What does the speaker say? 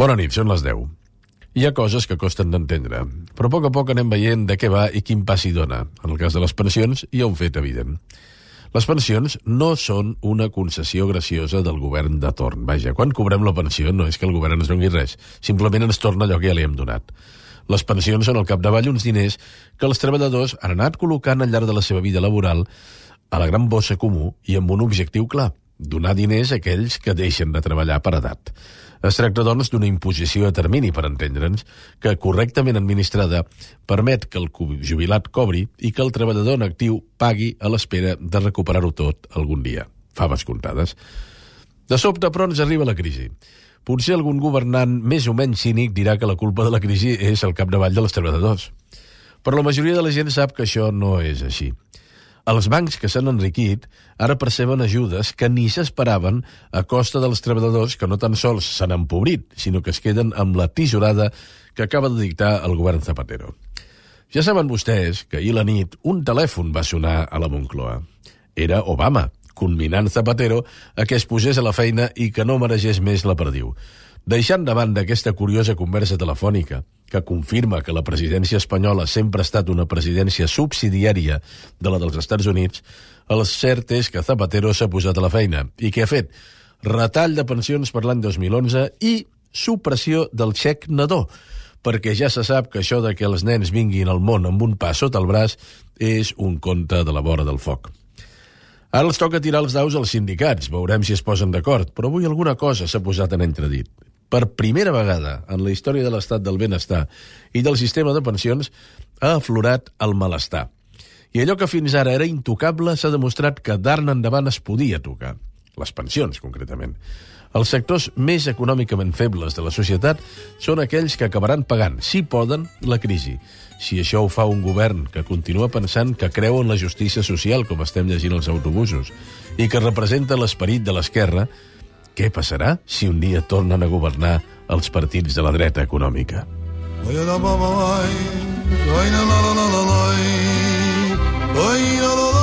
Bona nit, són les 10. Hi ha coses que costen d'entendre, però a poc anem veient de què va i quin pas hi dona. En el cas de les pensions, hi ha un fet evident. Les pensions no són una concessió graciosa del govern de torn. Vaja, quan cobrem la pensió no és que el govern ens doni res, simplement ens torna allò que ja li hem donat. Les pensions són al capdavall uns diners que els treballadors han anat col·locant al llarg de la seva vida laboral a la gran bossa comú i amb un objectiu clar: donar diners a aquells que deixen de treballar per edat. Es tracta, doncs, d'una imposició a termini, per entendre'ns, que, correctament administrada, permet que el jubilat cobri i que el treballador en actiu pagui a l'espera de recuperar-ho tot algun dia. Faves comptades. De sobte, però, ens arriba la crisi. Potser algun governant més o menys cínic dirà que la culpa de la crisi és al capdavall dels treballadors. Però la majoria de la gent sap que això no és així. Els bancs que s'han enriquit ara perceben ajudes que ni s'esperaven a costa dels treballadors que no tan sols s'han empobrit, sinó que es queden amb la tisorada que acaba de dictar el govern Zapatero. Ja saben vostès que ahir a la nit un telèfon va sonar a la Moncloa. Era Obama, conminant Zapatero a que es posés a la feina i que no maregés més la perdiu. Deixant de banda aquesta curiosa conversa telefònica, que confirma que la presidència espanyola sempre ha estat una presidència subsidiària de la dels Estats Units, el cert és que Zapatero s'ha posat a la feina i que ha fet retall de pensions per l'any 2011 i supressió del xec nadó, perquè ja se sap que això de que els nens vinguin al món amb un pas sota el braç és un conte de la vora del foc. Ara els toca tirar els daus als sindicats, veurem si es posen d'acord, però avui alguna cosa s'ha posat en entredit. Per primera vegada en la història de l'estat del benestar i del sistema de pensions ha aflorat el malestar. I allò que fins ara era intocable s'ha demostrat que d'ara endavant es podia tocar. Les pensions, concretament. Els sectors més econòmicament febles de la societat són aquells que acabaran pagant, si poden, la crisi. Si això ho fa un govern que continua pensant que creu en la justícia social, com estem llegint als autobusos, i que representa l'esperit de l'esquerra, què passarà si un dia tornen a governar els partits de la dreta econòmica? Oi,